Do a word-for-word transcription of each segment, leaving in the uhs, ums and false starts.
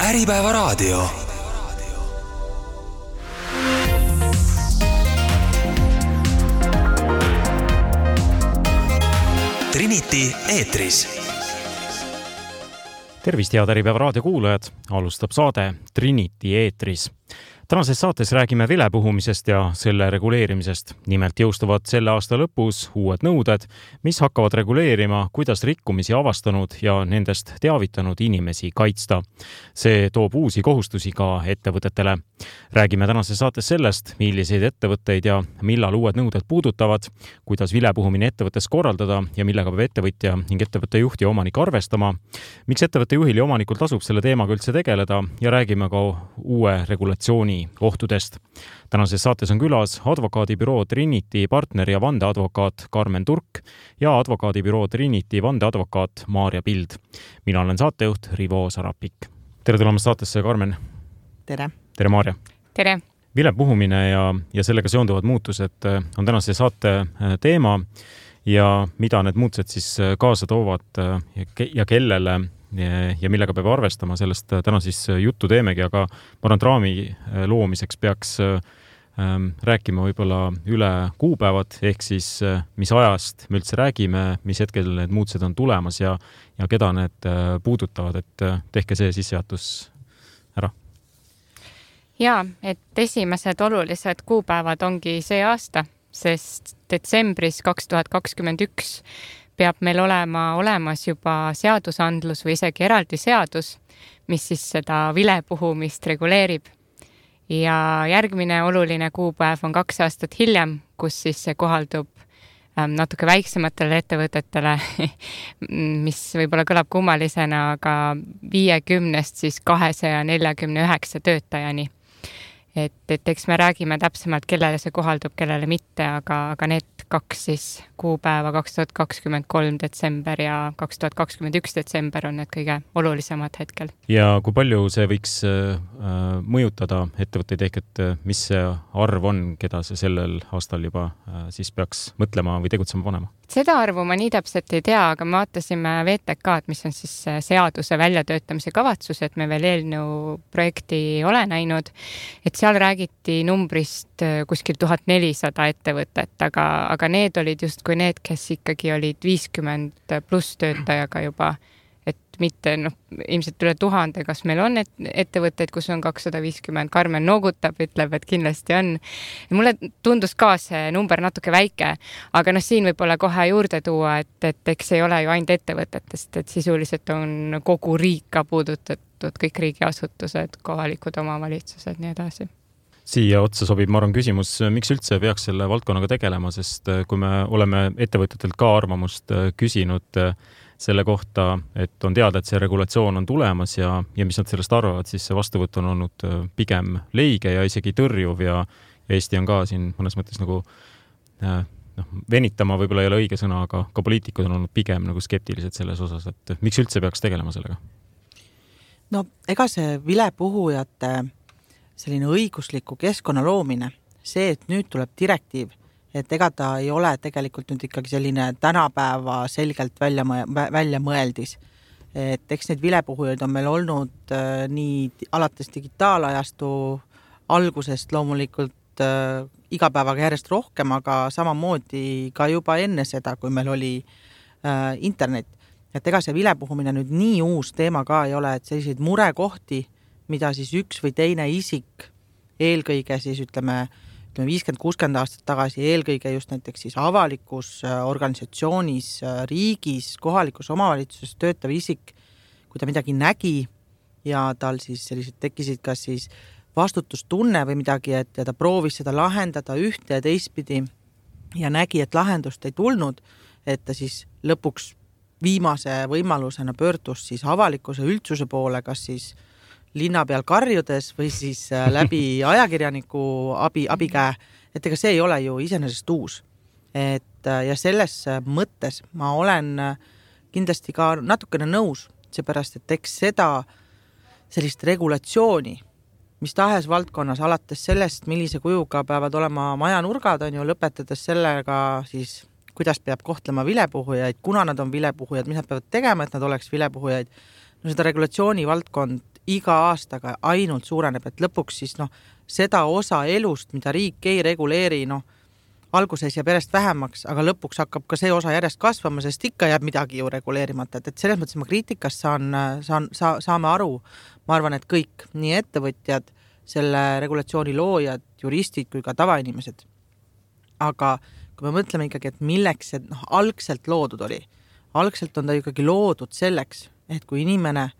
Äripäeva raadio. Trinity eetris. Tervist, head Äripäeva raadio kuulajad. Alustab saade Trinity eetris. Tänases saates räägime vilepuhumisest ja selle reguleerimisest. Nimelt jõustuvad selle aasta lõpus uued nõuded, mis hakkavad reguleerima, kuidas rikkumisi avastanud ja nendest teavitanud inimesi kaitsta. See toob uusi kohustusi ka ettevõtetele. Räägime tänases saates sellest, milliseid ettevõtteid ja millal uued nõuded puudutavad, kuidas vilepuhumine ettevõttes korraldada ja millega peab ettevõtja ning ettevõtte juht ja omanik arvestama, miks ettevõtte juhil ja omanikul tasub selle teemaga üldse tegeleda ja räägime ka uue regulatsiooni ohtudest. Tänases saates on külas advokaadibüroo Trinity partner ja vandeadvokaat Karmen Turk ja advokaadibüroo Trinity vandeadvokaat Maarja Pild. Mina olen saatejuht Rivo Sarapik. Tere tulemast saatesse, Karmen. Tere. Tere, Maarja. Tere. Vilepuhumine ja, ja sellega seonduvad muutused on tänase saate teema ja mida need muutused siis kaasa toovad ja, ja kellele ja millega peab arvestama, sellest täna siis juttu teemegi, aga ma arvan, raami loomiseks peaks ähm, rääkima võib-olla üle kuupäevad, ehk siis mis ajast me üldse räägime, mis hetkel need muutused on tulemas ja, ja keda need puudutavad, et tehke see sissejuhatus ära. Jaa, et esimesed olulised kuupäevad ongi see aasta, sest detsembris kaks tuhat kakskümmend üks peab meil olema olemas juba seadusandlus või isegi eraldi seadus, mis siis seda vilepuhumist reguleerib. Ja järgmine oluline kuupäev on kaks aastat hiljem, kus siis see kohaldub natuke väiksematele ettevõtetele, mis võib-olla kõlab kummalisena, aga viiekümnest siis kahesaja neljakümne üheksa töötajani. Et, et eks me räägime täpsemalt, kellele see kohaldub, kellele mitte, aga, aga need kaks siis kuupäeva kaks tuhat kakskümmend kolm detsember ja kaks tuhat kakskümmend üks detsember on need kõige olulisemad hetkel. Ja kui palju see võiks äh, mõjutada ettevõtteid ehk, et mis see arv on, keda see sellel aastal juba äh, siis peaks mõtlema või tegutsema panema? Seda arvu ma nii täpselt ei tea, aga me vaatasime V T K-d, mis on siis seaduse väljatöötamise kavatsus, et me veel eelnõu projekti ei ole näinud, et seal räägiti numbrist kuskil tuhat nelisada ettevõtet, aga, aga need olid just kui need, kes ikkagi olid viiskümmend pluss töötajaga juba, et mitte, noh, ilmselt üle tuhande, kas meil on et, ettevõtteid, kus on kakssada viiskümmend, Karmen noogutab, ütleb, et kindlasti on. Mulle tundus ka see number natuke väike, aga noh, siin võib olla kohe juurde tuua, et, et eks ei ole ju ainult ettevõtetest, et sisuliselt on kogu riik ka puudutatud, kõik riigiasutused, kohalikud omavalitsused, nii edasi. Siia otsa sobib, ma arvan, küsimus, miks üldse peaks selle valdkonnaga tegelema, sest kui me oleme ettevõtetelt ka arvamust küsinud selle kohta, et on teada, et see regulatsioon on tulemas ja, ja mis nad sellest arvavad, siis see vastuvõtt on olnud pigem leige ja isegi tõrjuv ja, ja Eesti on ka siin mõnes mõttes nagu noh, venitama võib-olla ei ole õige sõna, aga ka poliitikud on olnud pigem nagu skeptilised selles osas, et miks üldse peaks tegelema sellega? No ega see vilepuhujate selline õigusliku keskkonna loomine, see, et nüüd tuleb direktiiv, et ega ta ei ole tegelikult nüüd ikkagi selline tänapäeva selgelt välja, välja mõeldis. Et eks neid vilepuhujaid on meil olnud äh, nii alates digitaalajastu algusest loomulikult äh, igapäevaga järjest rohkem, aga samamoodi ka juba enne seda, kui meil oli äh, internet. Et ega see vilepuhumine nüüd nii uus teema ka ei ole, et selliseid murekohti, mida siis üks või teine isik eelkõige siis ütleme, ütleme viiskümmend kuuskümmend aastat tagasi, eelkõige just näiteks siis avalikus organisatsioonis, riigis, kohalikus omavalitsuses töötav isik, kui ta midagi nägi ja tal siis sellised tekkisid kas siis vastutustunne või midagi, et ja ta proovis seda lahendada ühte ja teistpidi ja nägi, et lahendust ei tulnud, et ta siis lõpuks viimase võimalusena pöördus siis avalikkuse üldsuse poole, kas siis linna peal karjudes või siis läbi ajakirjaniku abi, abikäe, et ega see ei ole ju iseenesest uus. Et, ja selles mõttes ma olen kindlasti ka natukene nõus, seepärast, et eks seda sellist regulatsiooni, mis tahes valdkonnas, alates sellest, millise kujuga peavad olema majanurgad, on ju lõpetades sellega siis, kuidas peab kohtlema vilepuhujaid, kuna nad on vilepuhujad, mis nad peavad tegema, et nad oleks vilepuhujaid. No seda regulatsiooni valdkond iga aastaga ainult suureneb, et lõpuks siis noh, seda osa elust, mida riik ei reguleeri, noh, alguses jääb järjest vähemaks, aga lõpuks hakkab ka see osa järjest kasvama, sest ikka jääb midagi ju reguleerimata, et, et selles mõttes ma kriitikast saan, saan, sa, saame aru, ma arvan, et kõik, nii ettevõtjad, selle regulatsiooni loojad, juristid kui ka tavainimesed. Aga kui me mõtleme ikkagi, et milleks see noh, algselt loodud oli, algselt on ta ikkagi loodud selleks, et kui inimene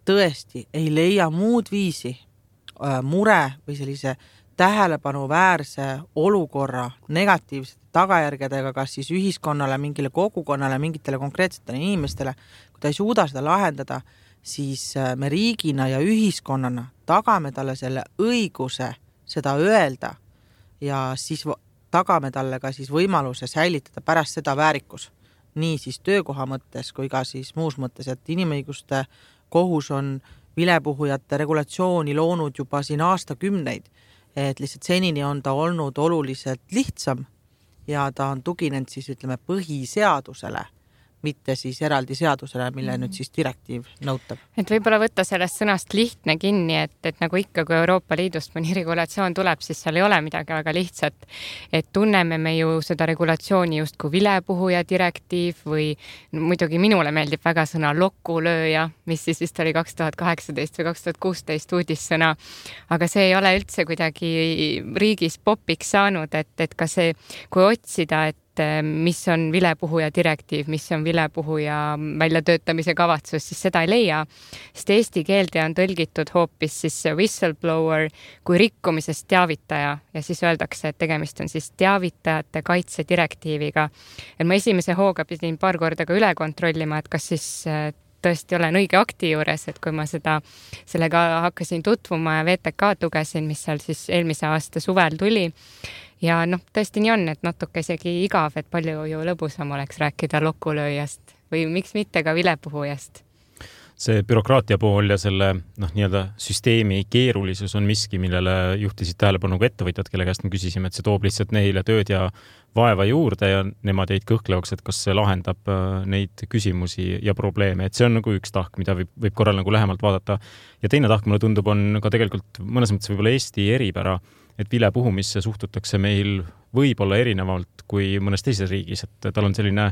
tõesti ei leia muud viisi äh, mure või sellise tähelepanuväärse olukorra negatiivsete tagajärgedega, kas siis ühiskonnale, mingile kogukonnale, mingitele konkreetsetele inimestele, kui ta ei suuda seda lahendada, siis me riigina ja ühiskonnana tagame talle selle õiguse seda öelda ja siis tagame talle ka siis võimaluse säilitada pärast seda väärikus. Nii siis töökoha mõttes kui ka siis muus mõttes, et inimõiguste kohus on vilepuhujate regulatsiooni loonud juba siin aastakümneid, et lihtsalt senini on ta olnud oluliselt lihtsam ja ta on tuginenud siis ütleme põhiseadusele, mitte siis eraldi seadusele, mille nüüd siis direktiiv nõutab. Et võib-olla võtta sellest sõnast lihtne kinni, et, et nagu ikka, kui Euroopa Liidust mõni regulatsioon tuleb, siis seal ei ole midagi väga lihtsat. Et tunneme me ju seda regulatsiooni just kui vilepuhuja direktiiv või muidugi minule meeldib väga sõna lokulööja, mis siis vist oli kaks tuhat kaheksateist või kaks tuhat kuusteist uudissõna. Aga see ei ole üldse kuidagi riigis popiks saanud, et, et ka see, kui otsida, et mis on vilepuhuja direktiiv, mis on vilepuhuja väljatöötamise kavatsus, siis seda ei leia. Sest eesti keelde on tõlgitud hoopis siis whistleblower kui rikkumisest teavitaja ja siis öeldakse, et tegemist on siis teavitajate kaitse direktiiviga. Et ma esimese hooga pidin paar korda ka üle kontrollima, et kas siis tõesti olen õige akti juures, et kui ma seda, sellega hakkasin tutvuma ja V T K tugesin, mis seal siis eelmise aasta suvel tuli. Ja noh, tõesti nii on, et natuke isegi igav, et palju ju lõbusam oleks rääkida lokulööjast või miks mitte ka vilepuhujast. See bürokraatia pool ja selle noh, nii-öelda süsteemi keerulisus on miski, millele juhtisid tähelepanu ka ettevõtjad, kelle käest me küsisime, et see toob lihtsalt neile tööd ja vaeva juurde ja nemad jäid kõhklevaks, et kas see lahendab neid küsimusi ja probleeme. Et see on nagu üks tahk, mida võib, võib korral nagu lähemalt vaadata. Ja teine tahk, mulle tundub, on ka tegelikult mõnes mõttes võib-olla Eesti eripära, et vilepuhumisse suhtutakse meil võib-olla erinevalt kui mõnes teises riigis, et tal on selline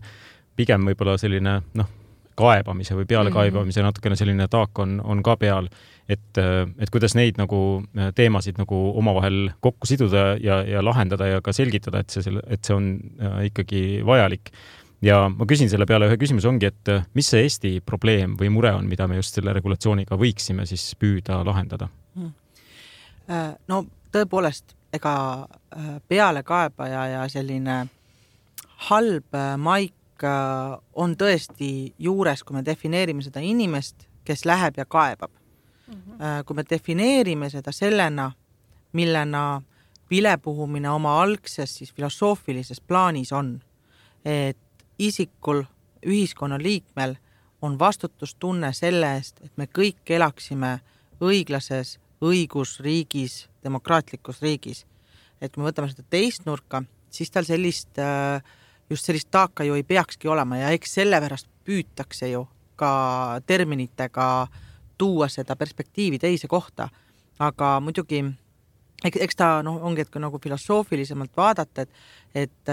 pigem võib-olla selline noh, kaebamise või peale kaebamise natukene selline taak on, on ka peal, et, et kuidas neid nagu teemasid nagu omavahel kokku siduda ja, ja lahendada ja ka selgitada, et see, et see on ikkagi vajalik. Ja ma küsin selle peale ühe küsimus ongi, et mis see Eesti probleem või mure on, mida me just selle regulatsiooniga võiksime siis püüda lahendada? No tõepoolest, ega peale kaebaja ja selline halb maik on tõesti juures, kui me defineerime seda inimest, kes läheb ja kaebab. Mm-hmm. Kui me defineerime seda sellena, millena vilepuhumine oma algses siis filosoofilises plaanis on, et isikul, ühiskonna liikmel on vastutustunne selle eest, et me kõik elaksime õiglases õigusriigis, demokraatlikus riigis. Et kui me võtame seda teist nurka, siis tal sellist just sellist taaka ju ei peakski olema ja eks sellepärast püütakse ju ka terminitega tuua seda perspektiivi teise kohta. Aga muidugi, eks ta no, ongi, et nagu filosoofilisemalt vaadata, et, et,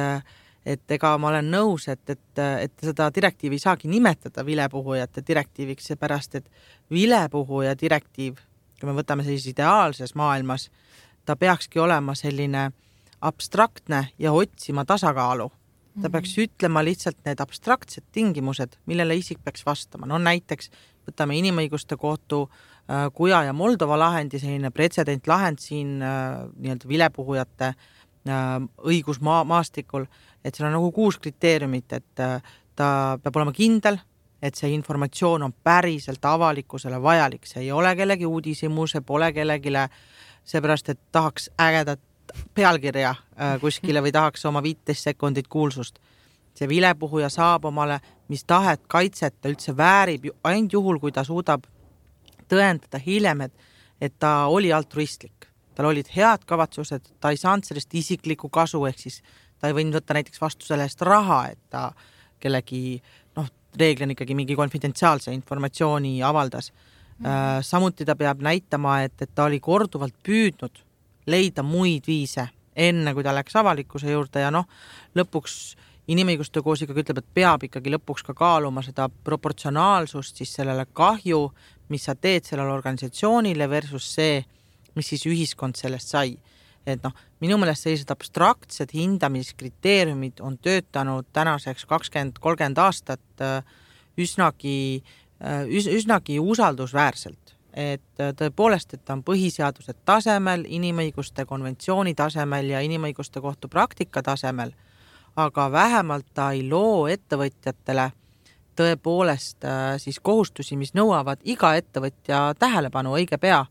et ega ma olen nõus, et, et, et seda direktiivi ei saagi nimetada vilepuhujate direktiiviks, seepärast, et vilepuhuja direktiiv, kui me võtame siis ideaalses maailmas, ta peakski olema selline abstraktne ja otsima tasakaalu. Ta peaks ütlema lihtsalt need abstraktsed tingimused, millele isik peaks vastama. No näiteks võtame inimõiguste kohtu äh, Kuja ja Moldova lahendi, selline pretsedent lahend siin äh, nii-öelda vilepuhujate äh, õigusmaastikul, et seal on nagu kuus kriteeriumit, et äh, ta peab olema kindel, et see informatsioon on päriselt avalikkusele vajalik. See ei ole kellegi uudisimu, see pole kellegile, seepärast, et tahaks ägedat pealkirja kuskile või tahaks oma viisteist sekundit kuulsust. See vilepuhuja saab omale, mis tahet kaitset ta üldse väärib ainult juhul, kui ta suudab tõendada hiljem, et, et ta oli altruistlik. Tal olid head kavatsused, ta ei saanud sellest isiklikku kasu, ehk siis ta ei võinud võtta näiteks vastu selle eest raha, et ta kellegi, noh, reeglina ikkagi mingi konfidentsiaalse informatsiooni avaldas. Mm. Samuti ta peab näitama, et, et ta oli korduvalt püüdnud leida muid viise enne, kui ta läks avalikkuse juurde ja noh, lõpuks inimõiguste koos ikkagi ütleb, et peab ikkagi lõpuks ka kaaluma seda proportsionaalsust siis sellele kahju, mis sa teed sellele organisatsioonile versus see, mis siis ühiskond sellest sai. Et noh, minu meelest sellised abstraktsed hindamiskriteeriumid on töötanud tänaseks kakskümmend kolmkümmend aastat üsnagi, üsnagi usaldusväärselt. Et tõepoolest, et ta on põhiseaduse tasemel, inimõiguste konventsiooni tasemel ja inimõiguste kohtu praktika tasemel, aga vähemalt ta ei loo ettevõtjatele tõepoolest siis kohustusi, mis nõuavad iga ettevõtja tähelepanu õige pea.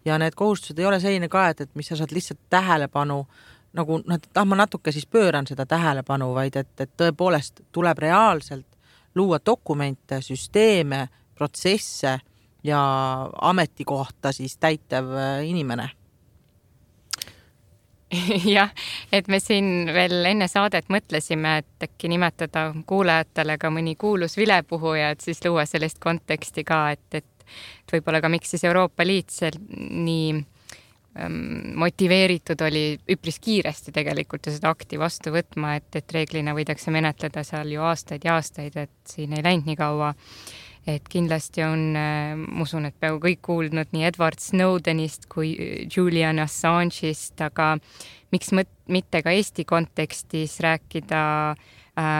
Ja need kohustused ei ole selline ka, et, et mis sa saad lihtsalt tähelepanu, nagu ah, ma natuke siis pööran seda tähelepanu, vaid et, et tõepoolest tuleb reaalselt luua dokumente, süsteeme, protsesse ja ametikohta siis täitev inimene. Jah, et me siin veel enne saadet mõtlesime, et äkki nimetada kuulajatele ka mõni kuulus vilepuhuja, et siis luua sellist konteksti ka, et, et et võib-olla ka miks siis Euroopa Liit nii ähm, motiveeritud oli üpris kiiresti tegelikult seda akti vastu võtma, et, et reeglina võidakse menetleda seal ju aastaid ja aastaid, et siin ei läinud nii kaua. Et kindlasti on, äh, usun, et peaaegu kõik kuuldnud nii Edward Snowdenist kui Julian Assange'ist, aga miks mõt, mitte ka Eesti kontekstis rääkida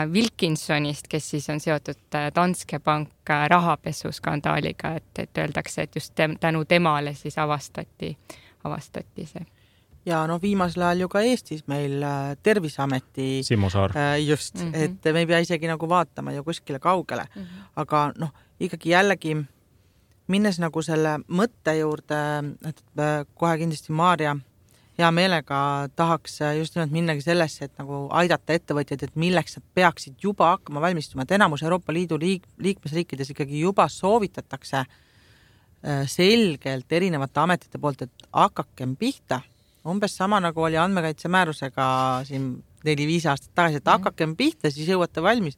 Wilkinsonist, kes siis on seotud Danske Bank rahapesuskandaaliga, et, et öeldakse, et just tänu temale siis avastati, avastati see. Ja no viimasel ajal ju ka Eestis meil Terviseameti Simo Saar. Just, mm -hmm. et me ei pea isegi nagu vaatama ju kuskile kaugele. Mm -hmm. Aga noh, ikkagi jällegi minnes nagu selle mõtte juurde, et kohe kindlasti Maarja hea meelega tahaks just nimelt minnagi sellesse, et nagu aidata ettevõtjaid, et milleks nad peaksid juba hakkama valmistuma. Et enamus Euroopa Liidu liik, liikmesriikides ikkagi juba soovitatakse selgelt erinevate ametite poolt, et hakakem pihta. Umbes sama nagu oli andmekaitsemäärusega siin neli-viis aastat tagasi, et hakakem pihta, siis jõuate valmis.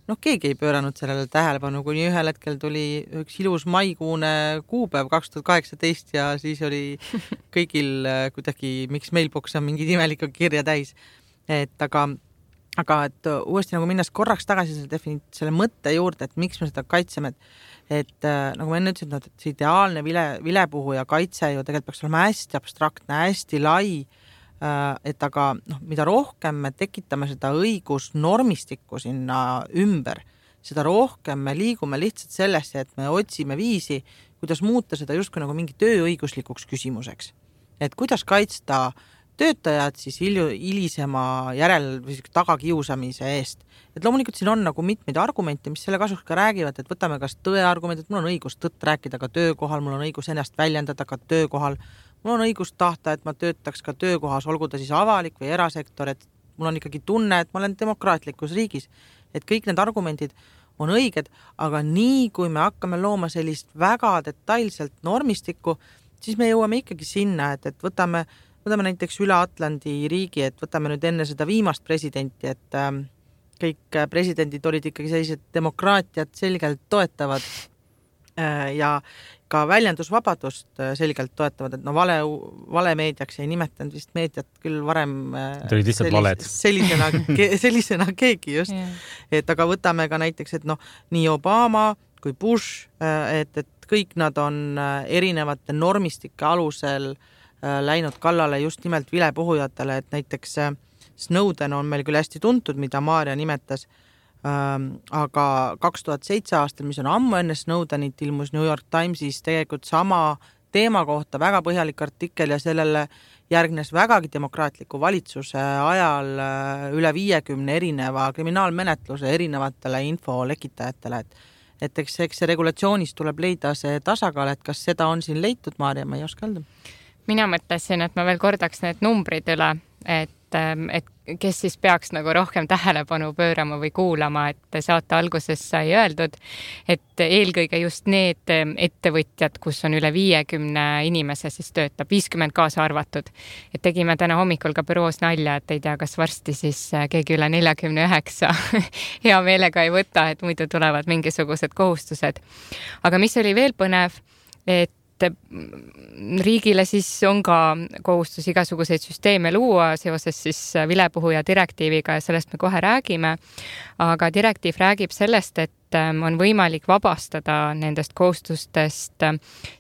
Noh, keegi ei pööranud sellele tähelepanu, kuni ühel hetkel tuli üks ilus maikuune kuupäev kaks tuhat kaheksateist ja siis oli kõigil kuidagi, miks mailbox on mingi imelikku kirja täis. Et aga, aga et uuesti nagu minnes korraks tagasi selle, defini- selle mõtte juurde, et miks me seda kaitseme, et, et nagu ma enne ütlesin, et see ideaalne vile, vilepuhu ja kaitse ju tegelikult peaks olema hästi abstraktne, hästi lai, et aga noh, mida rohkem me tekitame seda õigusnormistikku sinna ümber, seda rohkem me liigume lihtsalt sellesse, et me otsime viisi, kuidas muuta seda justkui nagu mingi tööõiguslikuks küsimuseks. Et kuidas kaitsta töötajad siis hilisema järel või tagakiusamise eest. Et loomulikult siin on nagu mitmeid argumente, mis selle kasuks ka räägivad, et võtame kas tõe argument, et mul on õigus tõtt rääkida ka töökohal, mul on õigus ennast väljendada ka töökohal, mul on õigus tahta, et ma töötaks ka töökohas, olgu ta siis avalik või erasektor, et mul on ikkagi tunne, et ma olen demokraatlikus riigis. Et kõik need argumendid on õiged, aga nii kui me hakkame looma sellist väga detailselt normistikku, siis me jõuame ikkagi sinna, et, et võtame, võtame näiteks üle Atlandi riigi, et võtame nüüd enne seda viimast presidenti, et äh, kõik presidendid olid ikkagi sellised demokraatiat selgelt toetavad äh, ja ka väljendusvabadust selgelt toetavad, et no vale, vale meediaks ei nimetanud vist meediat küll varem sellis, sellisena, sellisena keegi just. Yeah. Et aga võtame ka näiteks, et noh, nii Obama kui Bush, et, et kõik nad on erinevate normistike alusel läinud kallale just nimelt vilepuhujatele, et näiteks Snowden on meil küll hästi tuntud, mida Maarja nimetas, aga kaks tuhat seitse aastal, mis on ammu enne Snowdenit, ilmus New York Timesis tegelikult sama teema kohta väga põhjalik artikkel ja sellele järgnes vägagi demokraatliku valitsuse ajal üle viiekümne erineva kriminaalmenetluse erinevatele infolekitajatele, et et eks, eks see regulatsioonis tuleb leida see tasakaal, et kas seda on siin leitud, Maarja, ma ei oska öelda. Mina mõtlesin, et ma veel kordaks need numbrid üle, et et kes siis peaks nagu rohkem tähelepanu pöörama või kuulama, et saate alguses sai öeldud, et eelkõige just need ettevõtjad, kus on üle viiekümne inimese siis töötab, viiskümmend kaasa arvatud. Et tegime täna hommikul ka büroos nalja, et ei tea, kas varsti siis keegi üle neljakümne üheksa hea meelega ei võta, et muidu tulevad mingisugused kohustused. Aga mis oli veel põnev, et riigile siis on ka kohustus igasuguseid süsteeme luua seoses siis vilepuhuja direktiiviga ja sellest me kohe räägime. Aga direktiiv räägib sellest, et on võimalik vabastada nendest kohustustest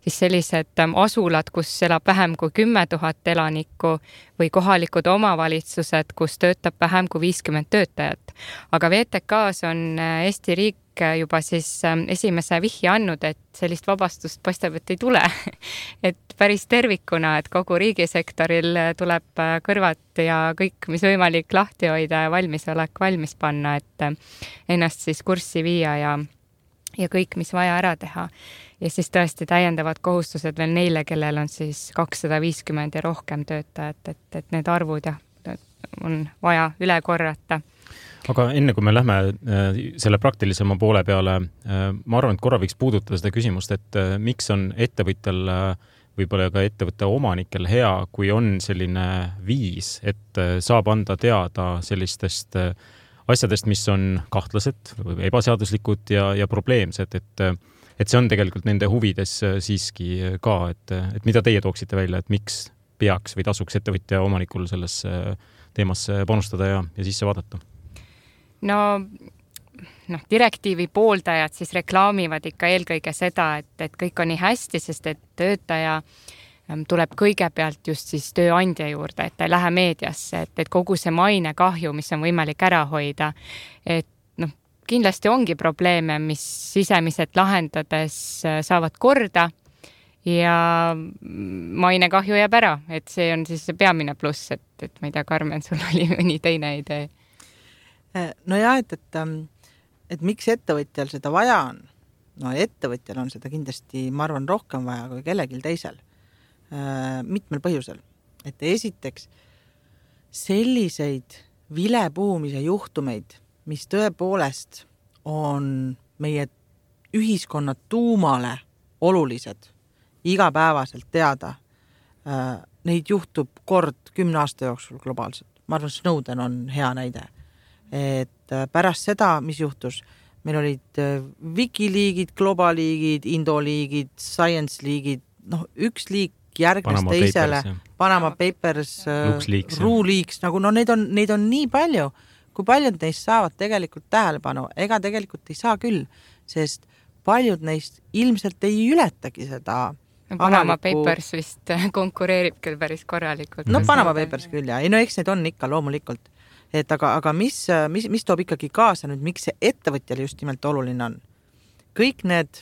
siis sellised asulad, kus elab vähem kui kümme tuhat elanikku või kohalikud omavalitsused, kus töötab vähem kui viiskümmend töötajat. Aga V T K-s on Eesti riik juba siis esimese vihje andnud, et sellist vabastust paistab, et ei tule. Et päris tervikuna, et kogu riigisektoril tuleb kõrvad ja kõik, mis võimalik lahti hoida ja valmisolek valmis panna, et ennast siis kurssi viia ja, ja kõik, mis vaja ära teha. Ja siis tõesti täiendavad kohustused veel neile, kellel on siis kakssada viiskümmend ja rohkem töötajat, et, et need arvud jah, on vaja üle korrata. Aga enne kui me lähme selle praktilisema poole peale, ma arvan, et korra võiks puudutada seda küsimust, et miks on ettevõtjal, võib-olla ka ettevõtte omanikel hea, kui on selline viis, et saab anda teada sellistest asjadest, mis on kahtlased või ebaseaduslikud ja, ja probleemsed, et, et see on tegelikult nende huvides siiski ka, et, et mida teie tooksite välja, et miks peaks või tasuks ettevõtja omanikul selles teemasse panustada ja, ja sisse vaadata? No, noh, direktiivi pooldajad siis reklaamivad ikka eelkõige seda, et, et kõik on nii hästi, sest et töötaja tuleb kõigepealt just siis tööandja juurde, et ta ei lähe meediasse, et, et kogu see maine kahju, mis on võimalik ära hoida, et noh, kindlasti ongi probleeme, mis sisemiselt lahendades saavad korda ja maine kahju jääb ära, et see on siis see peamine pluss, et, et ma ei tea, Karmen, sul oli mõni teine idee. No ja, et, et, et miks ettevõtjal seda vaja on? No ettevõtjal on seda kindlasti, ma arvan, rohkem vaja kui kellegil teisel. Mitmel põhjusel. Et esiteks selliseid vilepuhumise juhtumeid, mis tõepoolest on meie ühiskonna tuumale olulised, igapäevaselt teada, neid juhtub kord kümne aasta jooksul globaalselt. Ma arvan, Snowden on hea näide. Et pärast seda, mis juhtus, meil olid Wikileakid, Globaliigid, Indoliigid, Science liigid, noh, üks liik järgnes Panama teisele, Papers, Panama Papers, LuxLeaks, RuLeaks, nagu no neid on, neid on nii palju, kui paljud neist saavad tegelikult tähelepanu, ega tegelikult ei saa küll, sest paljud neist ilmselt ei ületagi seda Panama avaliku... Papers vist konkureerib küll päris korralikult. No Panama Papers küll, ja. Ei, no eks need on ikka loomulikult. Et aga, aga mis, mis, mis toob ikkagi kaasa nüüd, miks see ettevõtjale just nimelt oluline on? Kõik need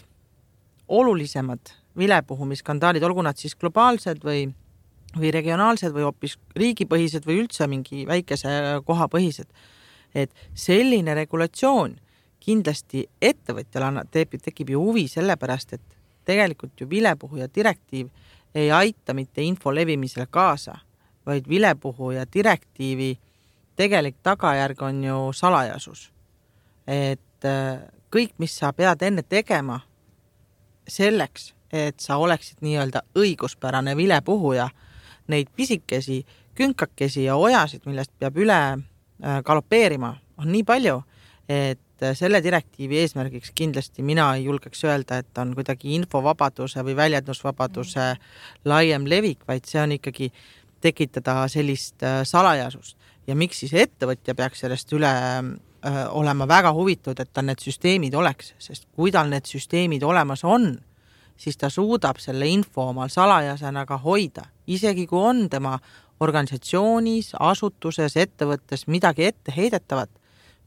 olulisemad vilepuhumiskandaalid, olgu nad siis globaalsed või, või regionaalsed või hoopis riigipõhised või üldse mingi väikese koha põhised. Et selline regulatsioon kindlasti ettevõtjale tekib ju huvi sellepärast, et tegelikult ju vilepuhuja direktiiv ei aita mitte info levimisele kaasa, vaid vilepuhuja direktiivi tegelik tagajärg on ju salajasus. Et kõik, mis sa pead enne tegema selleks, et sa oleksid nii-öelda õiguspärane vilepuhuja, neid pisikesi, künkakesi ja ojasid, millest peab üle galopeerima, on nii palju, et selle direktiivi eesmärgiks kindlasti mina ei julgeks öelda, et on kuidagi infovabaduse või väljendusvabaduse laiem levik, vaid see on ikkagi tekitada sellist salajasust. Ja miks siis ettevõtja peaks sellest üle öö, olema väga huvitud, et tal need süsteemid oleks, sest kui tal need süsteemid olemas on, siis ta suudab selle info omal salajasena ka hoida. Isegi kui on tema organisatsioonis, asutuses, ettevõttes midagi ette heidetavat,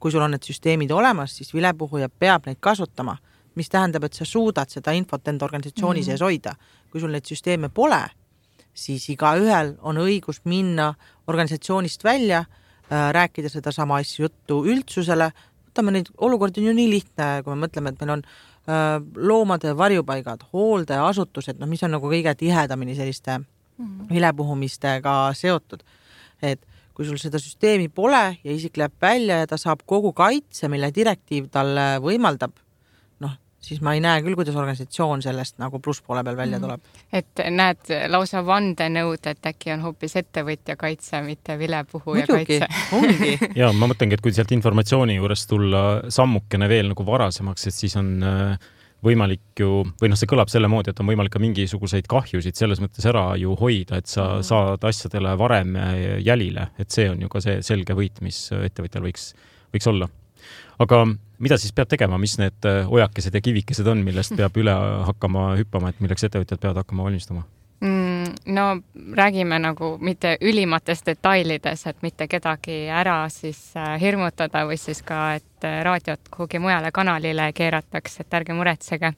kui sul on need süsteemid olemas, siis vilepuhuja peab neid kasutama, mis tähendab, et sa suudad seda infot enda organisatsiooni mm-hmm. sees hoida. Kui sul neid süsteeme pole, siis iga ühel on õigus minna organisatsioonist välja, äh, rääkida seda sama asju juttu üldsusele. Võtame neid olukordi on ju nii lihtne, kui me mõtleme, et meil on äh, loomade varjupaigad, hooldeasutused, no mis on nagu kõige tihedamini selliste mm-hmm. vilepuhumistega seotud. Et kui sul seda süsteemi pole ja isik läheb välja ja ta saab kogu kaitse, mille direktiiv talle võimaldab, siis ma ei näe küll, kuidas organisatsioon sellest nagu plusspoole peal välja tuleb. Et näed lausa vandenõud, et äkki on hoopis ettevõtja kaitse, mitte vilepuhuja Muidugi, kaitse. ongi. Ja ma mõtlengi, et kui sealt informatsiooni juures tulla sammukene veel nagu varasemaks, et siis on võimalik ju, või noh, see kõlab selle moodi, et on võimalik ka mingisuguseid kahjusid selles mõttes ära ju hoida, et sa saad asjadele varem jälile, et see on ju ka see selge võit, mis ettevõtjal võiks, võiks olla. Aga mida siis peab tegema, mis need ojakesed ja kivikesed on, millest peab üle hakkama hüppama, et milleks ettevõtjad peavad hakkama valmistuma? No räägime nagu mitte ülimates detailides, et mitte kedagi ära siis hirmutada või siis ka, et raadiot kuhugi mujale kanalile keeratakse, et ärge muretsege.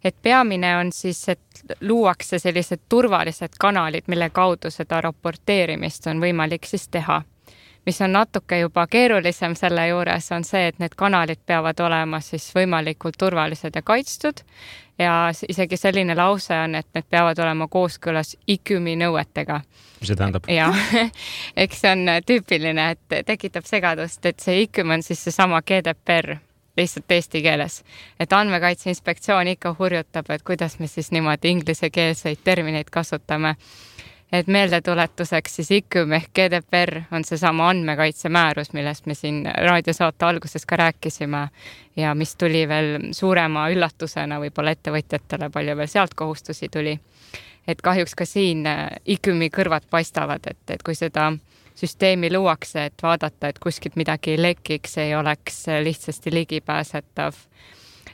Et peamine on siis, et luuakse sellised turvalised kanalid, mille kaudu seda raporteerimist on võimalik siis teha. Mis on natuke juba keerulisem selle juures, on see, et need kanalid peavad olema siis võimalikult turvalised ja kaitstud ja isegi selline lause on, et need peavad olema kooskõlas I Q M I nõuetega. Mis see tähendab? Ja, eks see on tüüpiline, et tekitab segadust, et see I Q M I on siis seesama G D P R lihtsalt eesti keeles. Et andmekaitse inspektsioon ikka hurjutab, et kuidas me siis niimoodi inglisekeelseid termineid kasutame. Et meeldetuletuseks siis I Q M ehk G D P R on seesama andmekaitse määrus, millest me siin raadiosaate alguses ka rääkisime ja mis tuli veel suurema üllatusena võib-olla ettevõtjatele, palju veel sealt kohustusi tuli. Et kahjuks ka siin I Q M I kõrvad paistavad, et, et kui seda süsteemi luuakse, et vaadata, et kuskilt midagi lekiks, ei oleks lihtsasti ligipääsetav.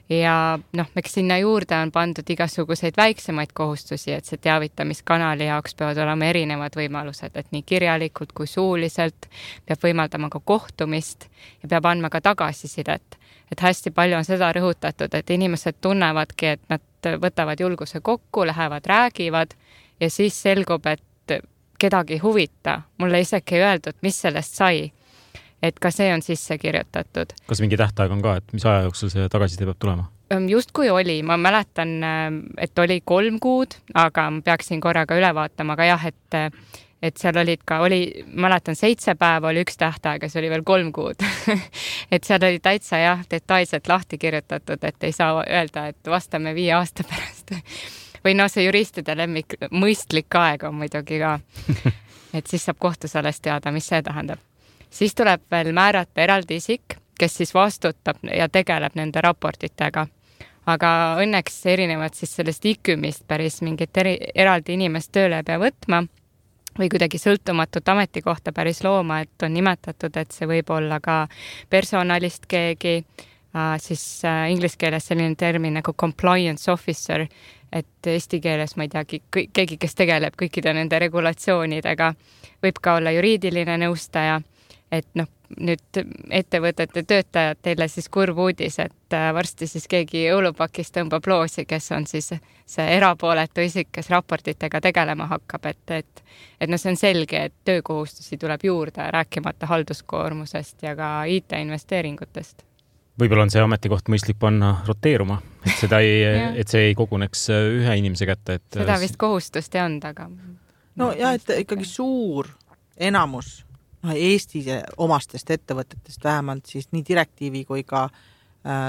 Ja noh, eks sinna juurde on pandud igasuguseid väiksemaid kohustusi, et see teavitamiskanali jaoks peavad olema erinevad võimalused, et nii kirjalikult kui suuliselt peab võimaldama ka kohtumist ja peab andma ka tagasisidet. Et hästi palju on seda rõhutatud, et inimesed tunnevadki, et nad võtavad julguse kokku, lähevad, räägivad ja siis selgub, et kedagi huvita. Mulle isegi ei öeldud, mis sellest sai. Et ka see on sisse kirjutatud. Kas mingi tähtaeg on ka, et mis aja jooksul see tagasiside peab tulema? Just kui oli, ma mäletan, et oli kolm kuud, aga ma peaksin korraga üle vaatama, aga jah, et, et seal olid ka, oli, mäletan, seitse päeva oli üks tähtaeg ja see oli veel kolm kuud. Et seal oli täitsa jah, detailselt lahti kirjutatud, et ei saa öelda, et vastame viie aasta pärast. Või no see juristide lemmik, mõistlik aeg on muidugi ka. Et siis saab kohtus alles teada, mis see tähendab. Siis tuleb veel määrata eraldi isik, kes siis vastutab ja tegeleb nende raportitega. Aga õnneks erinevad siis sellest I Q M I-st päris mingit eri, eraldi inimest tööle pea võtma või kuidagi sõltumatut ametikohta päris looma, et on nimetatud, et see võib olla ka personalist keegi, siis inglise keeles selline termin nagu compliance officer, et eesti keeles, ma ei teagi, keegi, kes tegeleb kõikide nende regulatsioonidega, võib ka olla juriidiline nõustaja. Et noh, nüüd ettevõtete töötajad teile siis kurv uudis, et varsti siis keegi õulupakis tõmbab loosi, kes on siis see erapooletu isik, kes raportitega tegelema hakkab, et, et, et no see on selge, et töökohustusi tuleb juurde, rääkimata halduskoormusest ja ka I T-investeeringutest. Võib-olla on see ametikoht mõistlik panna roteeruma, et, seda ei, et see ei koguneks ühe inimese kätte. Et seda vist kohustust ei olnud, aga... No ja, et ikkagi suur enamus no, Eesti omastest ettevõtetest vähemalt siis nii direktiivi kui ka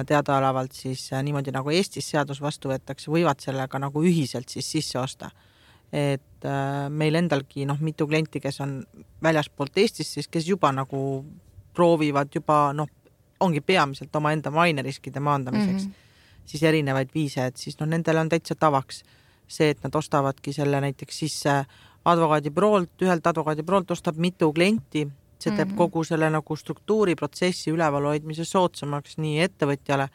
teadaolevalt siis niimoodi nagu Eestis seadus vastu võetakse, võivad sellega nagu ühiselt siis sisse osta. Et meil endalgi noh, mitu klienti, kes on väljaspoolt Eestis, siis kes juba nagu proovivad juba, noh, ongi peamiselt oma enda maineriskide maandamiseks, mm-hmm. siis erinevaid viise, et siis noh, nendele on täitsa tavaks see, et nad ostavadki selle näiteks sisse advokaadibüroolt, ühelt advokaadibüroolt ostab mitu klienti, see teeb mm-hmm. kogu selle nagu struktuuriprotsessi ülevalhoidmise soodsamaks nii ettevõtjale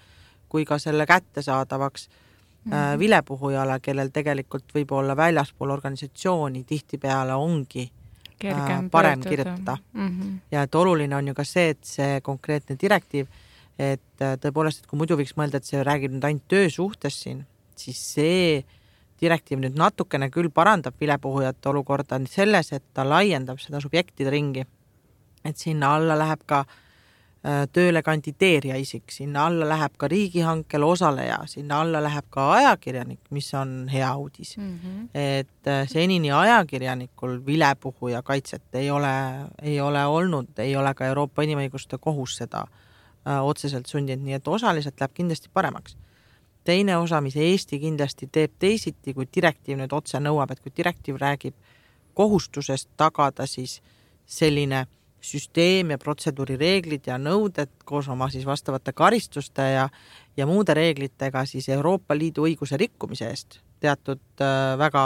kui ka selle kättesaadavaks mm-hmm. äh, vilepuhujale, kellel tegelikult võib olla väljaspool organisatsiooni tihtipeale ongi äh, parem pöörduda. Kirjutada. Mm-hmm. Ja et oluline on ju ka see, et see konkreetne direktiiv, et äh, tõepoolest, et kui muidu võiks mõelda, et see räägib nüüd ainult töösuhtes siin, siis see direktiiv nüüd natukene küll parandab vilepuhujate olukorda selles, et ta laiendab seda subjektide ringi. Et sinna alla läheb ka tööle kandideerija isik, sinna alla läheb ka riigihankel osaleja, sinna alla läheb ka ajakirjanik, mis on hea uudis. Mm-hmm. Et senini ajakirjanikul vilepuhuja kaitset ei ole, ei ole olnud, ei ole ka Euroopa Inimõiguste Kohus seda otseselt sundinud, nii et osaliselt läheb kindlasti paremaks. Teine osa, mis Eesti kindlasti teeb teisiti, kui direktiiv nüüd otse nõuab, et kui direktiiv räägib kohustusest tagada siis selline süsteem ja protseduurireeglid ja nõuded koos oma siis vastavate karistuste ja, ja muude reeglitega siis Euroopa Liidu õiguse rikkumise eest teatud äh, väga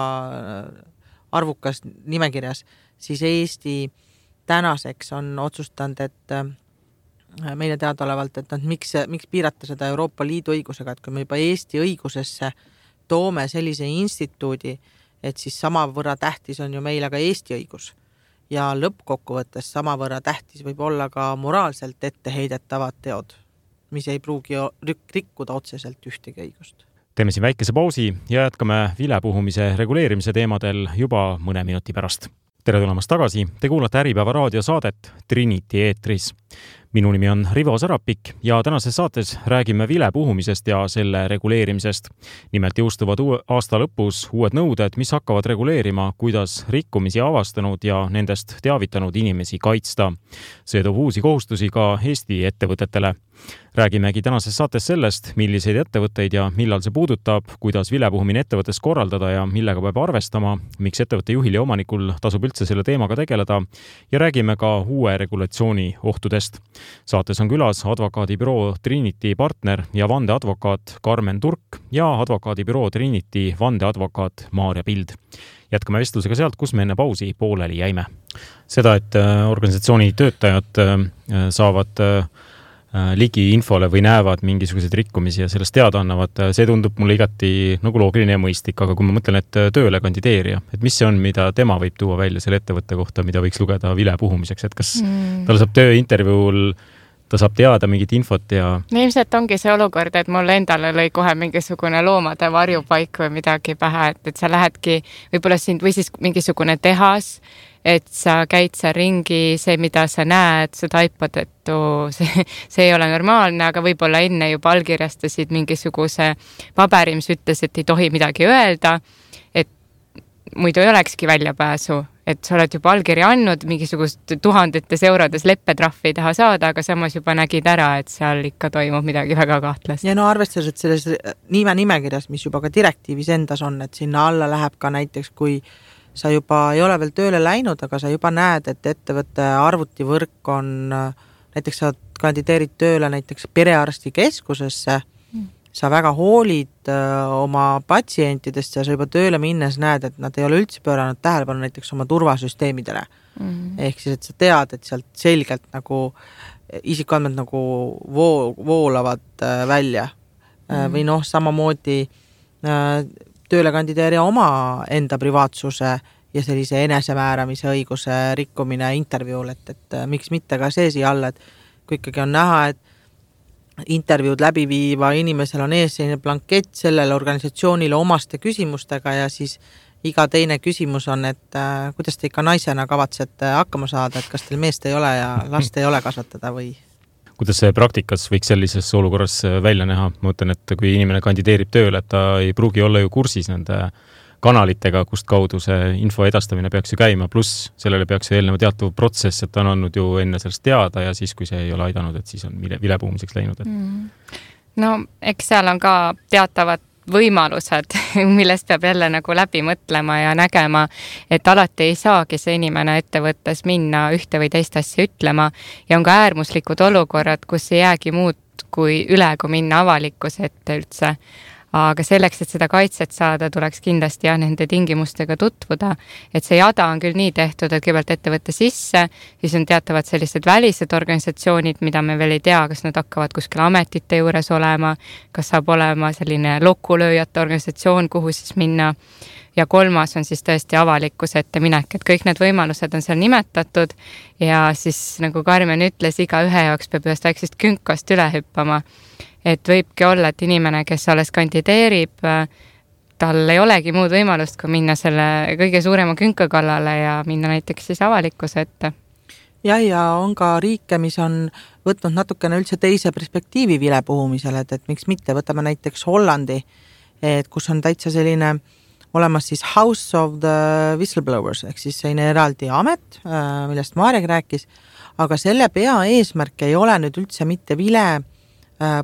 arvukas nimekirjas, siis Eesti tänaseks on otsustanud, et äh, meile teadaolevalt, et nad, miks, miks piirata seda Euroopa Liidu õigusega, et kui me juba Eesti õigusesse toome sellise instituudi, et siis samavõrra tähtis on ju meile ka Eesti õigus. Ja lõppkokkuvõttes samavõrra tähtis võib olla ka moraalselt etteheidetavad teod, mis ei pruugi rikkuda otseselt ühtegi õigust. Teeme siin väikese pausi ja jätkame vilepuhumise reguleerimise teemadel juba mõne minuti pärast. Tere tulemast tagasi, te kuulate Äripäeva raadiosaadet Trinity eetris. Minu nimi on Rivo Sarapik ja tänases saates räägime vilepuhumisest ja selle reguleerimisest. Nimelt jõustuvad aasta lõpus uued nõuded, mis hakkavad reguleerima, kuidas rikkumisi avastanud ja nendest teavitanud inimesi kaitsta. See toob uusi kohustusi ka Eesti ettevõtetele. Räägimegi tänases saates sellest, milliseid ettevõtteid ja millal see puudutab, kuidas vilepuhumine ettevõttes korraldada ja millega peab arvestama, miks ettevõtte juhil ja omanikul tasub üldse selle teemaga tegeleda ja räägime ka uue regulatsiooni ohtudest. Saates on külas advokaadibüroo Trinity partner ja vandeadvokaat Karmen Turk ja advokaadibüroo Trinity vandeadvokaat Maarja Pild. Jätkame vestlusega sealt, kus me enne pausi pooleli jäime. Seda, et organisatsiooni töötajad saavad ligi infole või näevad mingisuguseid rikkumisi ja sellest teada annavad, see tundub mulle igati nagu loogiline ja mõistlik, aga kui ma mõtlen, et tööle kandideerija, et mis see on, mida tema võib tuua välja selle ettevõtte kohta, mida võiks lugeda vilepuhumiseks, et kas mm. tal saab tööintervjuul, ta saab teada mingit infot ja... No ilmselt ongi see olukord, et mul endale lõi kohe mingisugune loomade varjupaik või midagi pähe, et, et sa lähedki võib-olla sind või siis mingisugune tehas, et sa käid seal ringi, see, mida sa näed, sa taipad, et oo, see, see ei ole normaalne, aga võib-olla enne juba allkirjastasid mingisuguse paberi, mis ütles, et ei tohi midagi öelda, et muidu ei olekski väljapääsu, et sa oled juba allkirja andnud, mingisugust tuhandetes eurodes leppetrahvi taha saada, aga samas juba nägid ära, et seal ikka toimub midagi väga kahtlast. Ja no arvestades, et selles nime nimekirjas, mis juba ka direktiivis endas on, et sinna alla läheb ka näiteks, kui sa juba ei ole veel tööle läinud, aga sa juba näed, et ettevõtte arvutivõrk on, näiteks sa kandideerid tööle näiteks perearsti keskusesse, mm. sa väga hoolid öö, oma patsientidest ja sa juba tööle minnes näed, et nad ei ole üldse pööranud tähelepanu näiteks oma turvasüsteemidele. Mm. Ehk siis, et sa tead, et sealt selgelt nagu isikuandmed nagu voo, voolavad öö, välja. Mm. Või noh, samamoodi öö, tööle kandideerija oma enda privaatsuse ja sellise enesemääramise õiguse rikkumine intervjuul, et, et miks mitte ka see siia alla, et kui ikkagi on näha, et intervjuud läbi viiva inimesel on ees selline blankett sellele organisatsioonile omaste küsimustega ja siis iga teine küsimus on, et äh, kuidas te ikka naisena kavatsete hakkama saada, et kas teil meest ei ole ja last ei ole kasvatada või... Kuidas see praktikas võiks sellises olukorras välja näha? Ma mõtlen, et kui inimene kandideerib tööle, et ta ei pruugi olla ju kursis nende kanalitega, kust kaudu see info edastamine peaks ju käima, pluss sellele peaks eelneva teatav protsess, et ta on andnud ju enne sellest teada ja siis, kui see ei ole aidanud, et siis on vilepuhumiseks läinud. Et... Mm. No, eks seal on ka teatavad võimalused, millest peab jälle nagu läbi mõtlema ja nägema, et alati ei saagi see inimene ettevõttes minna ühte või teist asja ütlema ja on ka äärmuslikud olukorrad, kus ei jäägi muud kui üle, kui minna avalikkuse ette üldse. Aga selleks, et seda kaitset saada, tuleks kindlasti ja nende tingimustega tutvuda, et see jada on küll nii tehtud, et kõigepealt ettevõtte sisse, siis on teatavad sellised välised organisatsioonid, mida me veel ei tea, kas nad hakkavad kuskil ametite juures olema, kas saab olema selline lokulööjate organisatsioon, kuhu siis minna. Ja kolmas on siis tõesti avalikkuse ette minek, et kõik need võimalused on seal nimetatud ja siis nagu Karmen ütles, iga ühe jaoks peab ühest väiksest künkast üle hüppama. Et võibki olla, et inimene, kes alles kandideerib, tal ei olegi muud võimalust, kui minna selle kõige suurema künka kallale ja minna näiteks siis avalikkuse ette. Ja, ja on ka riike, mis on võtnud natukene üldse teise perspektiivi vilepuhumisele, et, et miks mitte, võtame näiteks Hollandi, et kus on täitsa selline olemas siis House of the Whistleblowers, ehk siis selline eraldi amet, millest Marek rääkis, aga selle pea eesmärk ei ole nüüd üldse mitte vile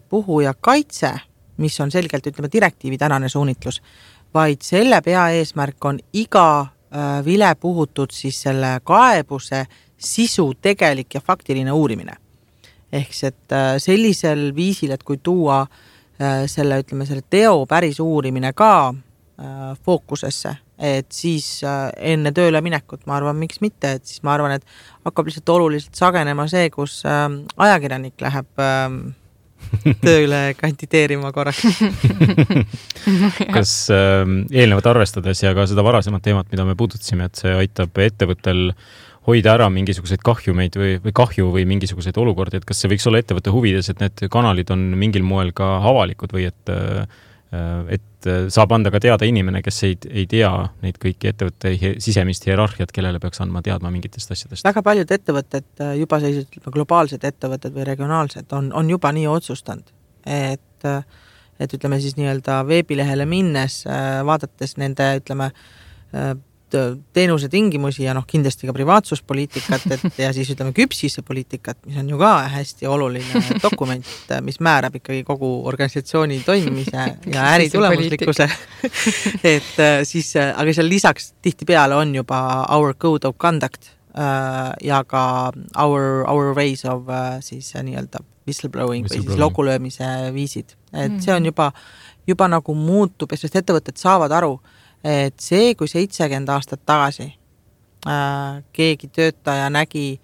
puhuja kaitse, mis on selgelt, ütleme, direktiivi tänane suunitlus, vaid selle pea eesmärk on iga vile puhutud siis selle kaebuse sisu tegelik ja faktiline uurimine. Ehk et sellisel viisil, et kui tuua selle, ütleme, selle teo päris uurimine ka fookusesse, et siis enne tööle minekut, ma arvan, miks mitte, et siis ma arvan, et hakkab lihtsalt oluliselt sagenema see, kus ajakirjanik läheb tööle kandideerima korraks. Kas äh, eelnevat arvestades ja ka seda varasemat teemat, mida me puudutasime, et see aitab ettevõttel hoida ära mingisuguseid kahjumeid või, või kahju või mingisuguseid olukordi, et kas see võiks olla ettevõtte huvides, et need kanalid on mingil moel ka avalikud või et, et saab anda ka teada inimene, kes ei, ei tea neid kõiki ettevõtte sisemist hierarhiat, kellele peaks andma teadma mingitest asjadest? Väga paljud ettevõtted, juba sellised globaalsed ettevõtted või regionaalsed on, on juba nii otsustanud, et, et ütleme siis nii-öelda veebilehele minnes, vaadates nende, ütleme, teenuse tingimusi ja noh, kindlasti ka privaatsuspoliitikat, et ja siis ütleme küpsise poliitikat, mis on ju ka hästi oluline dokument, mis määrab ikkagi kogu organisatsiooni toimimise ja äri tulemuslikkuse. et siis, aga seal lisaks tihtipeale on juba our code of conduct ja ka our, our ways of siis nii-öelda whistleblowing või siis logulöömise viisid. Et see on juba, juba nagu muutub, sest ettevõtted saavad aru, et see, kui seitsekümmend aastat tagasi äh, keegi töötaja nägi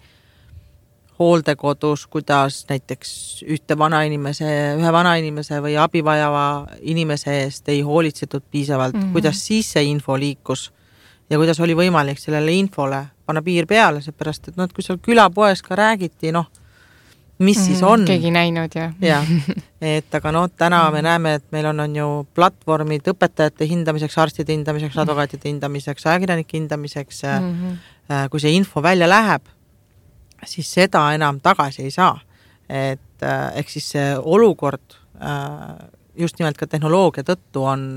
hooldekodus, kuidas näiteks ühte vanainimese, ühe vanainimese või abivajava inimese eest ei hoolitsetud piisavalt, mm-hmm. kuidas siis see info liikus ja kuidas oli võimalik sellele infole panna piir peale, seepärast, et, no, et kui seal külapoes ka räägiti, noh, mis mm, siis on. Keegi näinud, jah. Ja, et aga no, täna me näeme, et meil on, on ju platvormid õpetajate hindamiseks, arstide hindamiseks, advokaatide hindamiseks, ajakirjanike hindamiseks. Mm-hmm. Kui see info välja läheb, siis seda enam tagasi ei saa. Et ehk siis see olukord just nimelt ka tehnoloogia tõttu on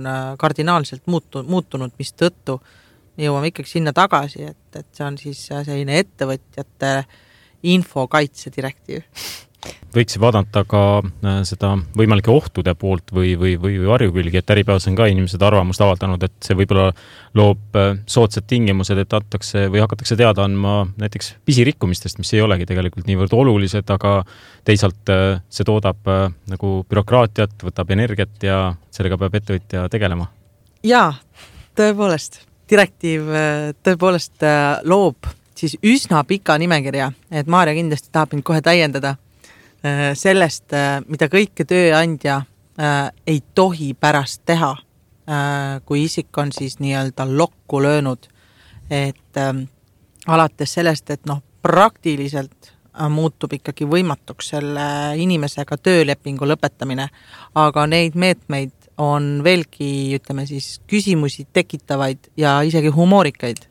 kardinaalselt muutu, muutunud, mis tõttu jõuame ikkagi sinna tagasi, et, et see on siis selline ettevõtjate infokaitse direktiiv. Võiks vaadata ka seda võimalike ohtude poolt või, või, või varjukülgi, et Äripäevas on ka inimesed arvamust avaldanud, et see võib-olla loob soodsad tingimused, et antakse või hakatakse teada andma näiteks pisirikkumistest, mis ei olegi tegelikult niivõrd olulised, aga teisalt see toodab nagu bürokraatiat, võtab energiat ja sellega peab ettevõtja tegelema. Jaa, tõepoolest. Direktiiv tõepoolest loob siis üsna pika nimekirja, et Maarja kindlasti tahab mind kohe täiendada sellest, mida kõike tööandja ei tohi pärast teha, kui isik on siis nii-öelda lokku löönud, et alates sellest, et noh, praktiliselt muutub ikkagi võimatuks selle inimesega töölepingu lõpetamine, aga neid meetmeid on veelgi, ütleme siis, küsimusi tekitavaid ja isegi humoorikaid.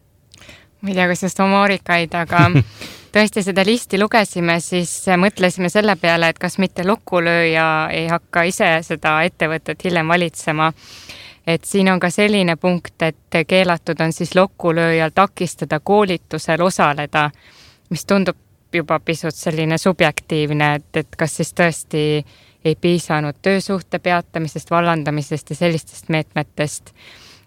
Ma ei tea, kas just humoorikaid, aga tõesti seda listi lugesime, siis mõtlesime selle peale, et kas mitte lokkulööja ei hakka ise seda ettevõtet hiljem valitsema. Et siin on ka selline punkt, et keelatud on siis lokkulööjal takistada koolitusel osaleda, mis tundub juba pisut selline subjektiivne, et, et kas siis tõesti ei piisanud töösuhte peatamisest, vallandamisest ja sellistest meetmetest.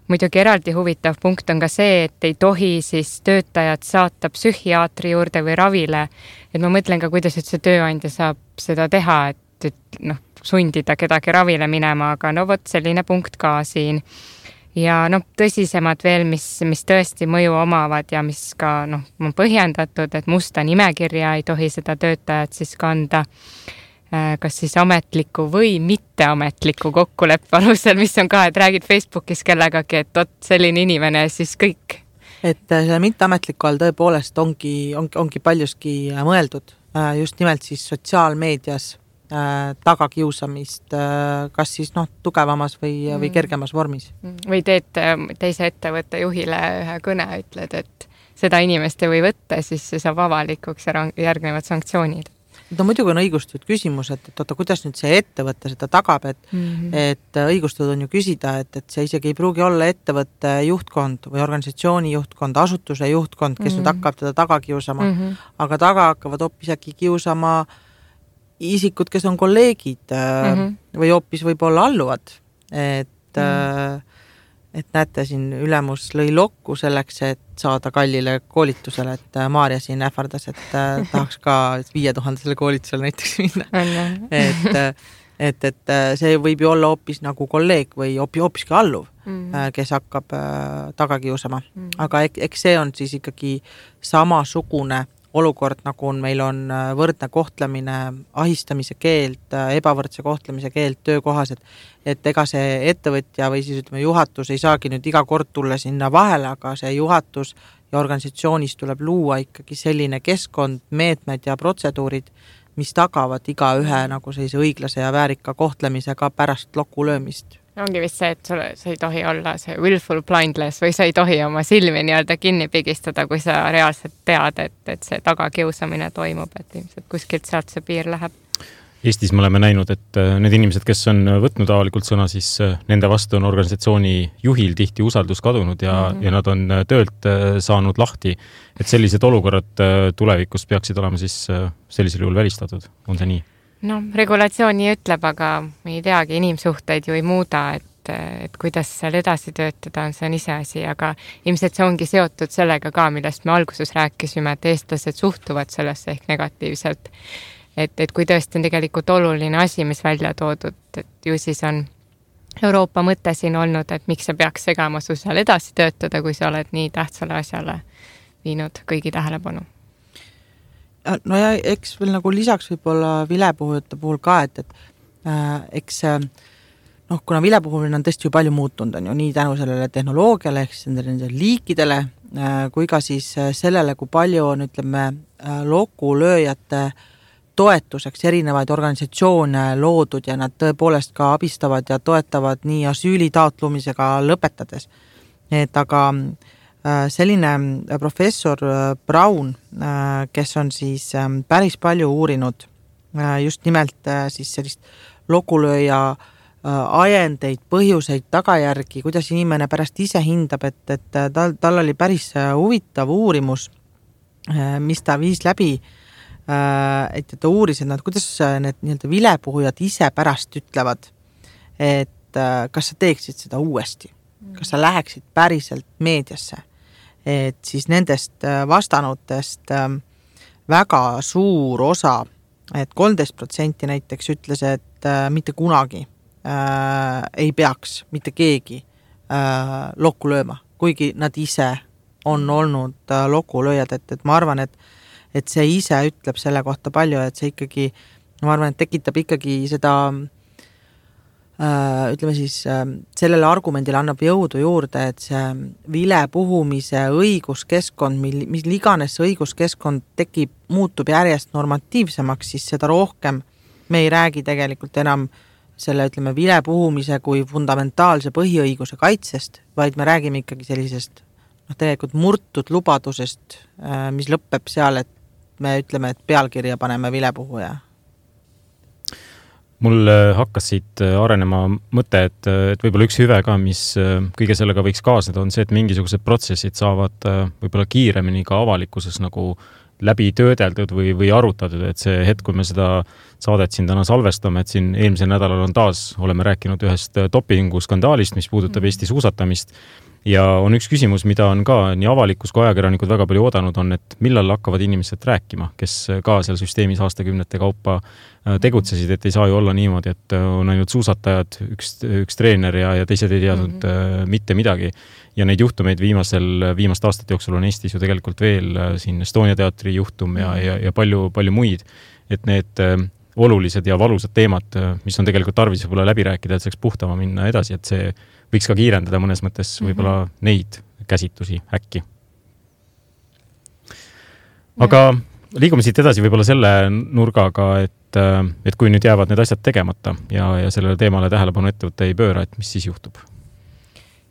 Muidugi eraldi huvitav punkt on ka see, et ei tohi siis töötajad saata psühhiaatri juurde või ravile. Et ma mõtlen ka, kuidas see tööandja saab seda teha, et, et noh, sundida kedagi ravile minema, aga no vot selline punkt ka siin. Ja noh, tõsisemad veel, mis, mis tõesti mõju omavad ja mis ka noh, on põhjendatud, et musta nimekirja ei tohi seda töötajat siis kanda. Kas siis ametliku või mitteametliku kokkuleppe alusel, mis on ka, et räägid Facebookis kellegagi, et ot, selline inimene siis kõik. Et selle mitteametliku all tõepoolest ongi, ongi, ongi paljuski mõeldud just nimelt siis sotsiaalmeedias tagakiusamist, kas siis noh, tugevamas või, või kergemas vormis. Või teed teise ettevõtte juhile ühe kõne, ütled, et seda inimest ei või võtta, siis see saab avalikuks ja järgnevad sanktsioonid. No muidugi on õigustatud küsimus, et, et oota, kuidas nüüd see ettevõte seda tagab, et, mm-hmm. et õigustatud on ju küsida, et, et see isegi ei pruugi olla ettevõtte juhtkond või organisatsiooni juhtkond, asutuse juhtkond, kes mm-hmm. nüüd hakkab teda taga kiusama, mm-hmm. aga taga hakkavad hoopis äkki kiusama isikud, kes on kolleegid mm-hmm. või hoopis võib-olla alluvad. Et, mm-hmm. et näete, siin ülemus lõi lokku selleks, et saada kallile koolitusele, et Maarja siin ähvardas, et tahaks ka viie tuhandesele koolitusele näiteks minna. et, et, et see võib ju olla hoopis nagu kolleeg või hoopis, hoopiski alluv, mm. kes hakkab taga kiusama. Mm. Aga eks see on siis ikkagi samasugune olukord, nagu on, meil on võrdne kohtlemine, ahistamise keeld, ebavõrdse kohtlemise keeld töökohas, et, et ega see ettevõtja või siis ütleme juhatus ei saagi nüüd iga kord tulla sinna vahele, aga see juhatus ja organisatsioonis tuleb luua ikkagi selline keskkond, meetmed ja protseduurid, mis tagavad iga ühe nagu sellise õiglase ja väärika kohtlemise ka pärast loku löömist. Ongi vist see, et sul, sa ei tohi olla see willful blindness või sa ei tohi oma silmi nii-öelda kinni pigistada, kui sa reaalselt tead, et, et see tagakiusamine toimub, et ilmselt kuskilt sealt see piir läheb. Eestis me oleme näinud, et need inimesed, kes on võtnud avalikult sõna, siis nende vastu on organisatsiooni juhil tihti usaldus kadunud ja, mm-hmm. ja nad on töölt saanud lahti. Et sellised olukorrad tulevikus peaksid olema siis sellisel juhul välistatud. On see nii? No, regulatsiooni ütleb, aga me ei teagi, inimsuhteid ju ei muuda, et, et kuidas seal edasi töötada, see on ise asi, aga ilmselt see ongi seotud sellega ka, millest me alguses rääkisime, et eestlased suhtuvad sellesse ehk negatiivselt. Et, et kui tõesti on tegelikult oluline asi, mis välja toodud, et ju siis on Euroopa mõte siin olnud, et miks sa peaks segama su seal edasi töötada, kui sa oled nii tähtsale asjale viinud kõigi tähelepanu. No ja eks veel nagu lisaks võib-olla vilepuhujate puhul ka, et, et äh, eks noh, kuna vilepuhumine on tõesti ju palju muutunud, on ju nii tänu sellele tehnoloogiale, ehk siis nendele liikidele, äh, kui ka siis sellele, kui palju on, ütleme, lokulööjate toetuseks erinevaid organisatsioone loodud ja nad tõepoolest ka abistavad ja toetavad nii asüüli taotlumisega lõpetades. Et aga selline professor Braun, kes on siis päris palju uurinud just nimelt siis sellist lokulööja ajendeid, põhjuseid, tagajärgi, kuidas inimene pärast ise hindab, et, et tal, tal oli päris huvitav uurimus, mis ta viis läbi, et ta uuris, et nad, kuidas need nii-öelda vilepuhujad ise pärast ütlevad, et kas sa teeksid seda uuesti, kas sa läheksid päriselt meediasse. Et siis nendest vastanutest väga suur osa, et kolmteist protsenti näiteks ütles, et mitte kunagi äh, ei peaks mitte keegi äh, lokku lööma, kuigi nad ise on olnud äh, lokulööjad, et, et ma arvan, et, et see ise ütleb selle kohta palju, et see ikkagi, ma arvan, et tekitab ikkagi seda ütleme siis, sellele argumendile annab jõudu juurde, et see vilepuhumise õiguskeskkond, mil, mis iganes õiguskeskkond tekib, muutub järjest normatiivsemaks, siis seda rohkem me ei räägi tegelikult enam selle, ütleme, vilepuhumise kui fundamentaalse põhiõiguse kaitsest, vaid me räägime ikkagi sellisest noh, tegelikult murtud lubadusest, mis lõpeb seal, et me ütleme, et pealkirja paneme vilepuhuja. Mul hakkas siit arenema mõte, et, et võib-olla üks hüve ka, mis kõige sellega võiks kaasneda, on see, et mingisugused protsessid saavad võib-olla kiiremini ka avalikkuses nagu läbi töödeldud või, või arutatud, et see hetk, kui me seda saadet siin täna salvestame, et siin eelmisel nädalal on taas, oleme rääkinud ühest dopingu skandaalist, mis puudutab Eesti suusatamist. Ja on üks küsimus, mida on ka nii avalikkus kui ajakirjanikud väga palju oodanud, on, et millal hakkavad inimesed rääkima, kes ka seal süsteemis aastakümnete kaupa tegutsesid, et ei saa ju olla niimoodi, et on ainult suusatajad, üks, üks treener ja, ja teised ei teadnud mm-hmm. mitte midagi. Ja neid juhtumeid viimasel, viimast aastate jooksul on Eestis ju tegelikult veel siin Estonia teatri juhtum ja, ja, ja palju, palju muid, et need olulised ja valusad teemad, mis on tegelikult tarvis võib-olla läbi rääkida, et saaks puhtama minna edasi, et see võiks ka kiirendada mõnes mõttes võib-olla mm-hmm. neid käsitlusi äkki. Aga liigume siit edasi võib-olla selle nurgaga, et, et kui nüüd jäävad need asjad tegemata ja, ja sellele teemale tähelepanu ettevõtte ei pööra, et mis siis juhtub?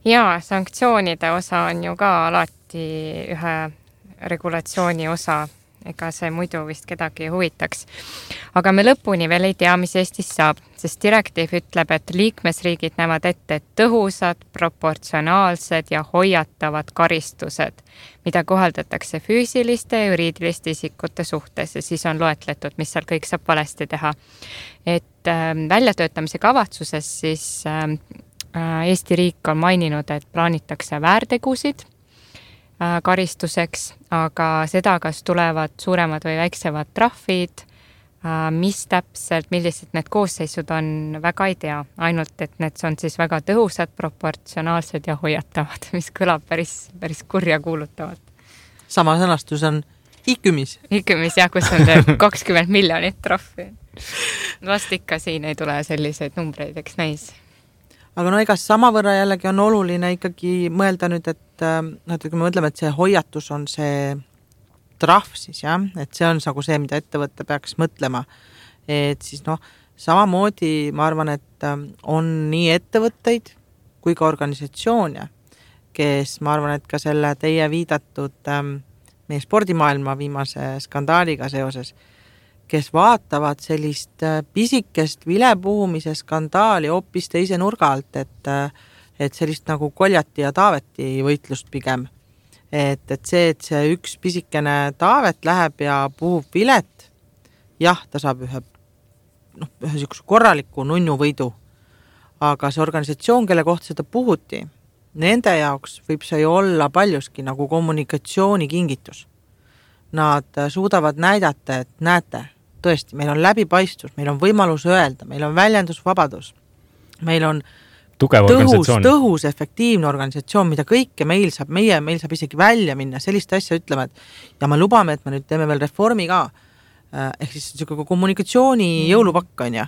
Jaa, sanktsioonide osa on ju ka alati ühe regulatsiooni osa, ega see muidu vist kedagi huvitaks. Aga me lõpuni veel ei tea, mis Eestis saab, sest direktiiv ütleb, et liikmesriigid näevad ette tõhusad, proportsionaalsed ja hoiatavad karistused, mida kohaldatakse füüsiliste ja juriidiliste isikute suhtes ja siis on loetletud, mis seal kõik saab valesti teha. Et äh, väljatöötamise kavatsuses siis äh, Eesti riik on maininud, et plaanitakse väärtegusid karistuseks, aga seda, kas tulevad suuremad või väiksemad trahvid, mis täpselt, millised need koosseisud on, väga ei tea. Ainult, et need on siis väga tõhusad, proportsionaalsed ja hoiatavad, mis kõlab päris, päris kurja kuulutavad. Sama sõnastus on Ikümis. Ikümis, jah, kus on kakskümmend miljonit trahvi. Vast ikka siin ei tule selliseid numbreid, eks näis. Aga no ega samavõrra jällegi on oluline ikkagi mõelda nüüd, et, et kui me mõtleme, et see hoiatus on see trahv siis, jah, et see on nagu see, mida ettevõtte peaks mõtlema. Et siis noh, samamoodi ma arvan, et on nii ettevõtteid kui ka organisatsioone, kes ma arvan, et ka selle teie viidatud meie spordimaailma viimase skandaaliga seoses, kes vaatavad sellist pisikest vilepuhumise skandaali hoopis teise nurga alt, et, et sellist nagu Koljati ja Taaveti võitlust pigem. Et, et see, et see üks pisikene Taavet läheb ja puhub vilet, jah, ta saab ühe, noh, ühe sükse korraliku nunnu võidu, aga see organisatsioon, kelle kohta seda puhuti, nende jaoks võib see ju olla paljuski nagu kommunikatsiooni kingitus. Nad suudavad näidata, et näete, tõesti, meil on läbipaistvus, meil on võimalus öelda, meil on väljendusvabadus, meil on Tugev tõhus, tõhus, efektiivne organisatsioon, mida kõike meil saab, meie, meil saab isegi välja minna, sellist asja ütleme, et ja me lubame, et me nüüd teeme veel reformi ka, ehk siis selline kommunikatsiooni mm. jõulupakk on ja,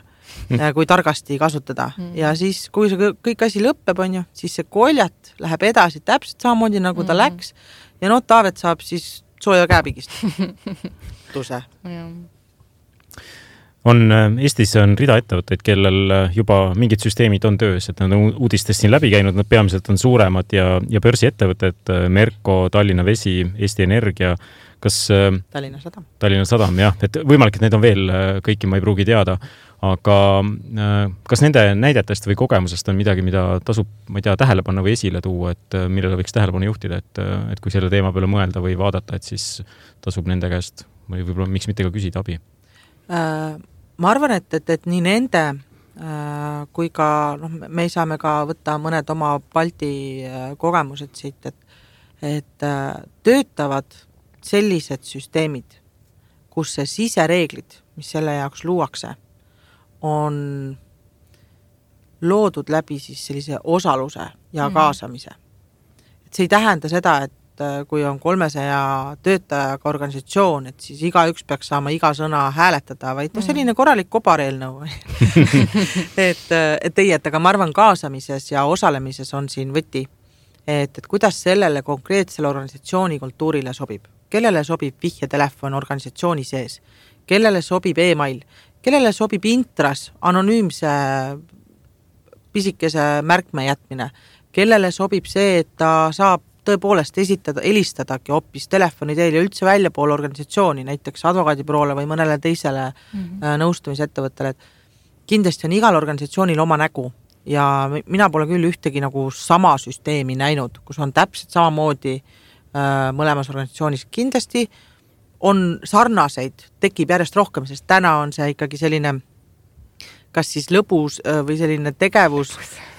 kui targasti kasutada. Mm. Ja siis, kui see kõik asi lõpeb, on ja, siis see Koljat läheb edasi täpselt samamoodi, nagu ta mm. läks ja no Taavet saab siis sooja käepigist. Tuse. On, Eestis on rida ettevõtteid, kellel juba mingid süsteemid on töös, et nad on uudistest siin läbi käinud, nad peamiselt on suuremad ja, ja börsiettevõtted, Merko, Tallinna Vesi, Eesti Energia, kas Tallinna Sadam, Tallinna Sadam, jah, et võimalik, et need on veel, kõiki ma ei pruugi teada, aga kas nende näidetest või kogemusest on midagi, mida tasub, ma ei tea, tähelepanu või esile tuua, et millele võiks tähelepanu juhtida, et, et kui selle teema peale mõelda või vaadata, et siis tasub nende käest või võib-olla miks mitte ka küsida abi? Ma arvan, et, et, et nii nende kui ka, noh, me saame ka võtta mõned oma Balti kogemused siit, et, et töötavad sellised süsteemid, kus see sisereeglid, mis selle jaoks luuakse, on loodud läbi siis sellise osaluse ja kaasamise. Et see ei tähenda seda, et kui on kolmesaja töötajaga organisatsioon, et siis iga üks peaks saama iga sõna hääletada, vaid no selline korralik kobareelnõu. et, et ei, et aga ma arvan kaasamises ja osalemises on siin võti, et, et kuidas sellele konkreetsele organisatsiooni kultuurile sobib. Kellele sobib vihjetelefon organisatsiooni sees, kellele sobib e-mail, kellele sobib intras anonüümse pisikese märkme jätmine, kellele sobib see, et ta saab tõepoolest esitada, helistadagi hoopis telefoni teel ja üldse välja pool organisatsiooni, näiteks advokaadibüroole või mõnele teisele mm-hmm. nõustamisettevõttele. Kindlasti on igal organisatsioonil oma nägu ja mina pole küll ühtegi nagu sama süsteemi näinud, kus on täpselt samamoodi äh, mõlemas organisatsioonis. Kindlasti on sarnaseid, tekib järjest rohkem, sest täna on see ikkagi selline kas siis lõbus äh, või selline tegevus,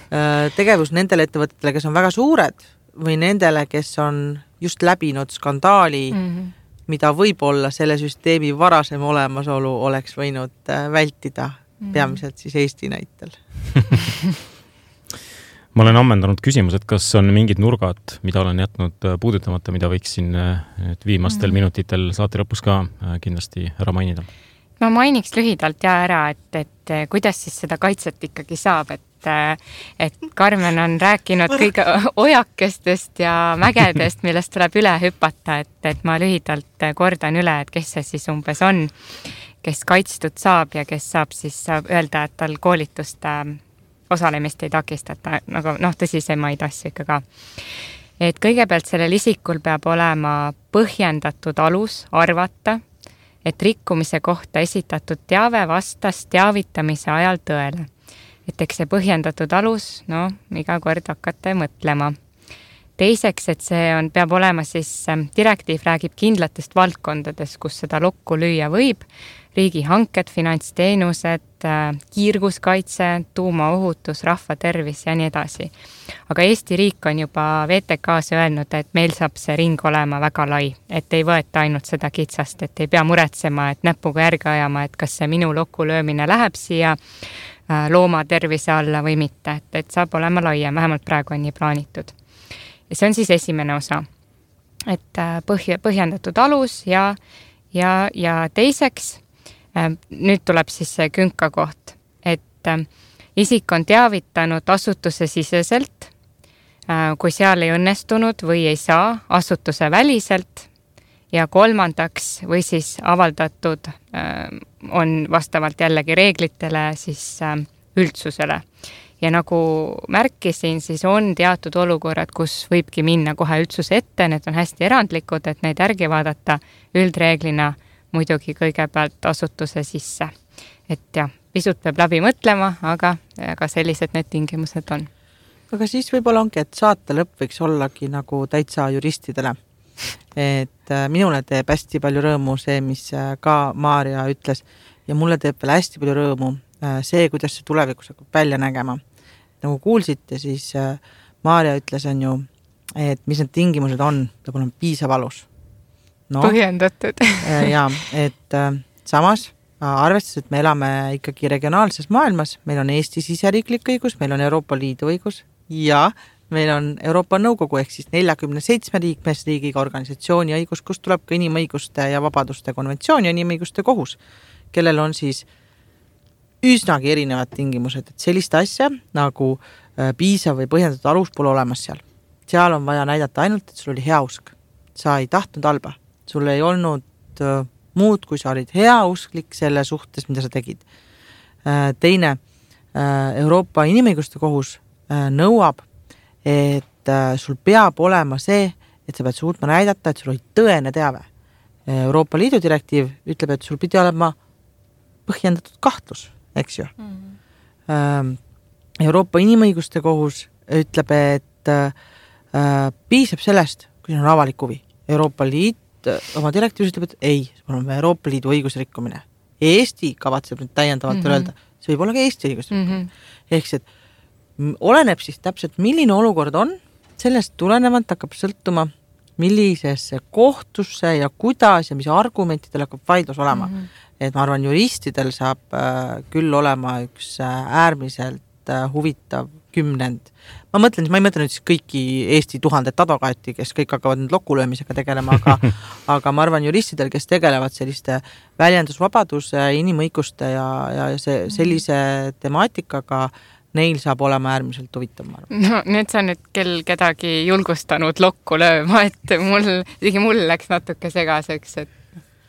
äh, tegevus nendele ettevõtetele, kes on väga suured või nendele, kes on just läbinud skandaali, mm-hmm. mida võib-olla selle süsteemi varasem olemasolu oleks võinud vältida, mm-hmm. peamiselt siis Eesti näitel. Ma olen ammendanud küsimused, kas on mingid nurgad, mida olen jätnud puudutamata, mida võiksin viimastel mm-hmm. minutitel saate lõpus ka kindlasti ära mainida? Ma mainiks lühidalt ja ära, et, et kuidas siis seda kaitset ikkagi saab, et et Karmen on rääkinud kõige ojakestest ja mägedest, millest tuleb üle hüpata, et, et ma lühidalt kordan üle, et kes see siis umbes on, kes kaitstud saab ja kes saab siis saab öelda, et tal koolitust osalemist ei takistata, nagu noh, tõsisemaid asju ikka ka. Et kõigepealt sellel isikul peab olema põhjendatud alus arvata, et rikkumise kohta esitatud teave vastas teavitamise ajal tõele. Et eks see põhjendatud alus, no, iga kord hakata mõtlema. teiseks, et see on, peab olema siis, direktiiv räägib kindlatest valdkondades, kus seda lokku lüüa võib, riigihanked, finantsteenused, kiirguskaitse, tuumaohutus, rahvatervis ja nii edasi. Aga Eesti riik on juba V T K-s öelnud, et meil saab see ring olema väga lai, et ei võeta ainult seda kitsast, et ei pea muretsema, et näpuga järgi ajama, et kas see minu lokku löömine läheb siia looma tervise alla või mitte, et, et saab olema laiem, vähemalt praegu on nii plaanitud. Ja see on siis esimene osa, et põhja, põhjendatud alus ja, ja, ja teiseks, nüüd tuleb siis see künka koht, et isik on teavitanud asutuse siseselt, kui seal ei õnnestunud või ei saa asutuse väliselt ja kolmandaks või siis avaldatud on vastavalt jällegi reeglitele siis üldsusele. Ja nagu märkisin, siis on teatud olukorrad, kus võibki minna kohe üldsuse ette, need on hästi erandlikud, et neid järgi vaadata üldreeglina muidugi kõigepealt asutuse sisse. Et jah, pisut peab läbi mõtlema, aga, aga sellised need tingimused on. Aga siis võib-olla ongi, et saate lõpp võiks ollagi nagu täitsa juristidele. Et minule teeb hästi palju rõõmu see, mis ka Maarja ütles ja mulle teeb veel hästi palju rõõmu see, kuidas see tulevikus hakkab välja nägema. Nagu kuulsite, siis Maarja ütles on ju, et mis need tingimused on, peab olema piisav alus. No, põhjendatud. ja, et samas arvestades, et me elame ikkagi regionaalses maailmas, meil on Eesti siseriiklik õigus, meil on Euroopa Liidu õigus ja meil on Euroopa Nõukogu ehk siis neljakümne seitsme liikmesriigiga organisatsiooni õigus, kus tuleb ka inimõiguste ja vabaduste konventsioon ja inimõiguste kohus, kellel on siis üsnagi erinevad tingimused, et sellist asja nagu piisav või põhjendatud alus pole olemas seal. Seal on vaja näidata ainult, et sul oli hea usk. Sa ei tahtnud halba. Sul ei olnud uh, muud, kui sa olid heausklik selle suhtes, mida sa tegid. Uh, teine, uh, Euroopa inimõiguste kohus uh, nõuab, et uh, sul peab olema see, et sa pead suutma näidata, et sul oli tõene teave. Euroopa Liidu direktiiv ütleb, et sul pidi olema põhjendatud kahtlus, eks ju. Mm-hmm. Uh, Euroopa inimõiguste kohus ütleb, et uh, uh, piisab sellest, kui on avalik huvi. Euroopa Liit oma direktiivis ütleb, et ei, see on Euroopa Liidu õigusrikkumine. Eesti kavatseb nüüd täiendavalt mm-hmm. öelda, see võib olla ka Eesti õigusrikkumine. Mm-hmm. Ehk see, oleneb siis täpselt, milline olukord on, sellest tulenevalt hakkab sõltuma, millisesse kohtusse ja kuidas ja mis argumentidel hakkab vaidlus olema. Mm-hmm. Et ma arvan, juristidel saab äh, küll olema üks äh, äärmiselt äh, huvitav kümnend. Ma mõtlen, ma ei mõtle nüüd siis kõiki Eesti tuhandet advokaati, kes kõik hakkavad nüüd lokulöömisega tegelema, aga, aga ma arvan juristidel, kes tegelevad selliste väljendusvabaduse, inimõiguste ja, ja see, sellise temaatikaga, neil saab olema äärmiselt huvitav. No nüüd sa nüüd kell kedagi julgustanud lokku lööma, et mul, isegi mul läks natuke segaseks, et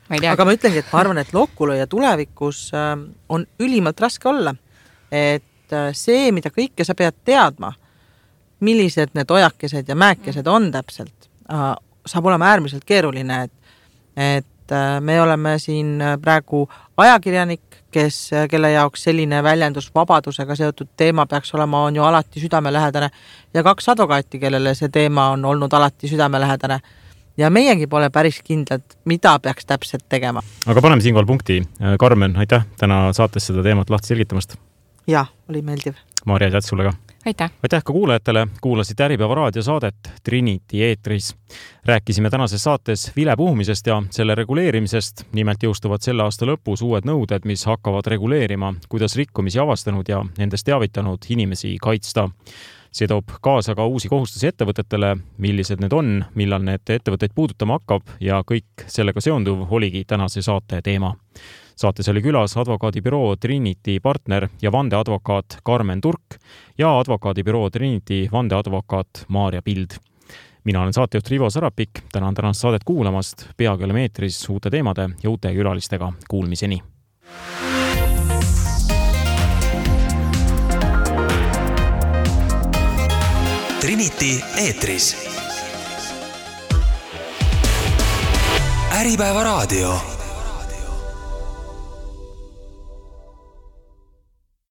ma ei tea. Aga ma ütlengi, et ma arvan, et lokulööja tulevikus on ülimalt raske olla, et see, mida kõike sa pead teadma, millised need ojakesed ja määkesed on täpselt, saab olema äärmiselt keeruline, et, et me oleme siin praegu ajakirjanik, kes, kelle jaoks selline väljendus vabadusega seotud teema peaks olema, on ju alati südamelähedane ja kaks advokaati, kellele see teema on olnud alati südamelähedane ja meiegi pole päris kindlad, mida peaks täpselt tegema. Aga paneme siinkohal punkti. Karmen, aitäh täna saates seda teemat lahti selgitamast. Ja, oli meeldiv. Maarja, aitäh sulle ka. Aitäh. Aitäh ka kuulajatele. Kuulasite Äripäeva raadiosaadet Trinity eetris. Rääkisime tänases saates vilepuhumisest ja selle reguleerimisest. Nimelt jõustuvad selle aasta lõpus uued nõuded, mis hakkavad reguleerima, kuidas rikkumisi avastanud ja nendest teavitanud inimesi kaitsta. See toob kaasa ka uusi kohustusi ettevõtetele, millised need on, millal need ettevõtteid puudutama hakkab ja kõik sellega seonduv oligi tänase saate teema. Saates oli külas advokaadibüroo Trinity partner ja vandeadvokaat Karmen Turk ja advokaadibüroo Trinity vandeadvokaat Maarja Pild. Mina olen saatejuht Rivo Sarapik, tänan tänast saadet kuulamast, peagi oleme eetris uute teemade ja uute külalistega. Kuulmiseni! Trinity eetris. Äripäeva raadio.